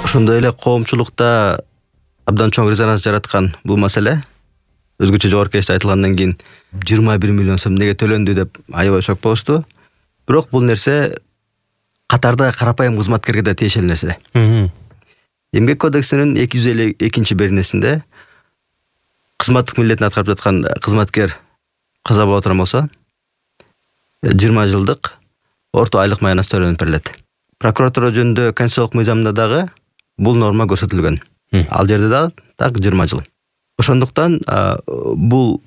Ошондой эле коомчулукта абдан чоң резонанс жараткан бул маселе өзгөчө жогорку кеңеште айтылгандан кийин 21 миллион сом неге төлөндү деп аябай шок болушту. Бирок бул нерсе катарда карапайым кызматкерге да тиешелүү нерсе. Эмгек кодексинин 252 беренесинде кызматтык милдетин аткарып жаткан кызматкер каза боло турган болсо 20 жылдык орто айлык маянас төлөнүп берилет. Прокуратура жөнүндө конституциялык мыйзамда дагы бул норма көрсөтүлгөн. Ал жерде дагы так 20 жыл. Ошондуктан бул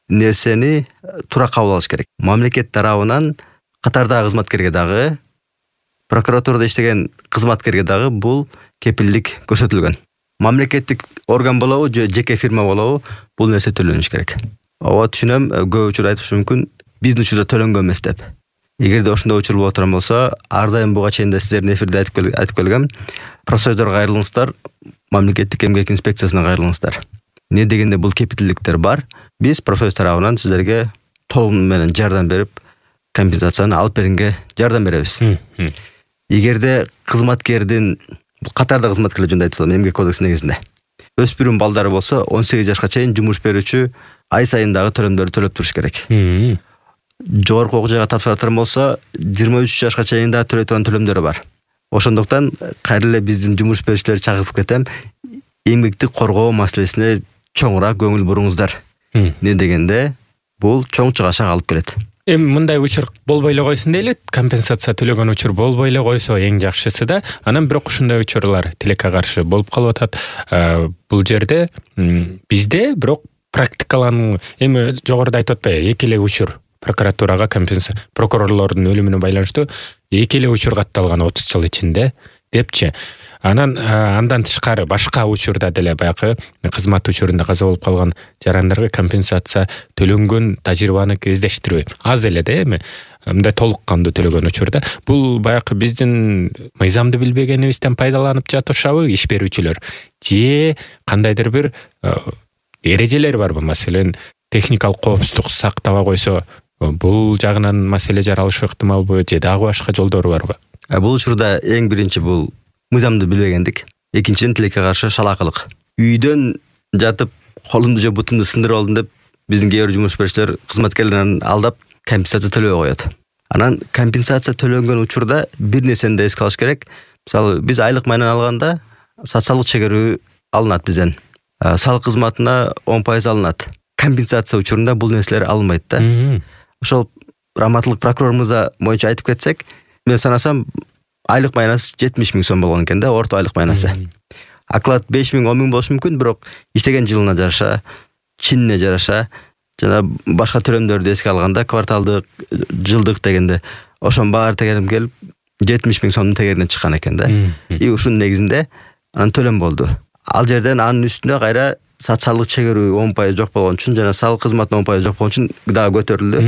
нерсени туура кабыл алыш керек. Мамлекет тарабынан катардагы кызматкерге дагы, прокуратурада иштеген кызматкерге дагы бул кепилдик көрсөтүлгөн. Мамлекеттик орган болобу же жеке фирма болобу бул нерсе төлөнүш керек. Ооба түшүнөм, көп учур айтышы мүмкүн биздин учурда төлөнгөн эмес деп. Эгерде ошондой учур боло турган болсо, ар дайым буга чейин да сиздердин эфирде айтып келгем. Профсоюздорго кайрылыңыздар, мамлекеттик эмгек инспекциясына кайрылыңыздар. Не дегенде бул кепилдиктер бар. Биз профсоюз тарабынан сиздерге толук менен жардам берип, компенсацияны алып беринге жардам беребиз. Эгерде кызматкердин катарда кызматкерлер жөнүндө айтылган эмгек кодекси негизинде өспүрүм балдары болсо 18 жашка чейин жумуш берүүчү ай сайын дагы төлөмдөрдү төлөп туруш керек. Жогорку окуу жайга тапшыра турган болсо 23 жашка чейин да төлөй турган төлөмдөрү бар. Ошондуктан кайра эле биздин жумуш берүүчүлөрдү чакырып кетем, эмгекти коргоо маселесине чоңураак көңүл буруңуздар. Не дегенде бул чоң чыгашак алып келет. Эми мындай учур болбой эле койсун дейли, компенсация төлөгөн учур болбой эле койсо эң жакшысы да. Анан бирок ушундай учурлар тилекке каршы болуп калып атат. Бул жерде бизде бирок практикалануу эми жогоруда айтып атпайбы, эки эле учур прокуратурага компенсация, прокурорлордун өлүмүнө байланыштуу эки эле учур катталган 30 жыл ичинде депчи. Андан тышкары башка учурда деле баягы кызмат учурунда каза болуп калган жарандарга компенсация төлөнгөн тажрыйбаны кездештирбейм. Аз эле да эми мындай толук кандуу төлөгөн учурда бул баягы биздин мыйзамды билбегенибизден пайдаланып жатышабы иш берүүчүлөр же кандайдыр бир эрежелер барбы? Маселен, техникалык коопсуздук сактабай койсо бул жагынан маселе жаралышы ыктымалбы же дагы башка жолдору барбы? Бул учурда эң биринчи бул мыйзамды билбегендик. Экинчиден тилекке каршы шалаакылык. Үйдөн жатып колумду же бутумду сындырып алдым деп биздин кээ бир жумуш берүүчүлөр кызматкерлерин алдап компенсация төлөбөй коет. Анан компенсация төлөнгөн учурда бир нерсени да эске алыш керек. Мисалы, биз айлык майынан алганда социалдык чегерүү алынат бизден. Салык кызматына 10% алынат. Компенсация учурунда бул нерселер алынбайт да. Ошол раматтылык прокурорумузда боюнча айтып кетсек, мен санасам айлык майнасы 70 000 сом болгон экен да, орто айлык майнасы. Оклад 5 000, 10 000 болушу мүмкүн, бирок иштеген жылына жараша, чинине жараша, жана башка төлөмдөрдү эске алганда кварталдык, жылдык дегенде ошонун баары тегерим келип 70 000 сомдун тегерине чыккан экен да. И ушунун негизинде анан төлөм болду. Ал жерден анын үстүнө кайра социалдык чегерүү 10% жок болгон үчүн жана салык кызматына 10% жок болгон үчүн дагы көтөрүлдү.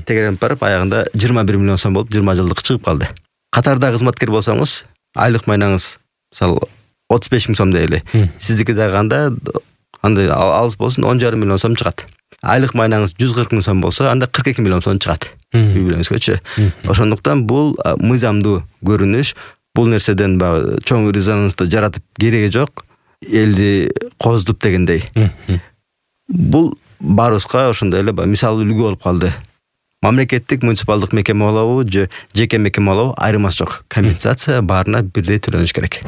Тегерип барып аягында 21 миллион сом болуп 20 жылдык чыгып калды. Катарда кызматкер болсоңуз, айлык майнаңыз мисалы 35 000 сом дейли. Сиздики дагы андай алыс болсун 10,5 миллион сом чыгат. Айлык майнаңыз 140 000 сом болсо, анда 42 миллион сом чыгат. Үй бүлөңүзгөчү. Ошондуктан бул мыйзамдуу көрүнүш, бул нерседен чоң резонансты жаратып кереги жок. Элди коздуп дегендей. Бул баарыбызга ошондой эле мисал үлгү болуп калды. Мамлекеттик муниципалдык мекеме болобу же жеке мекеме болобу айырмасы жок. Компенсация баарына бирдей төлөнүш керек.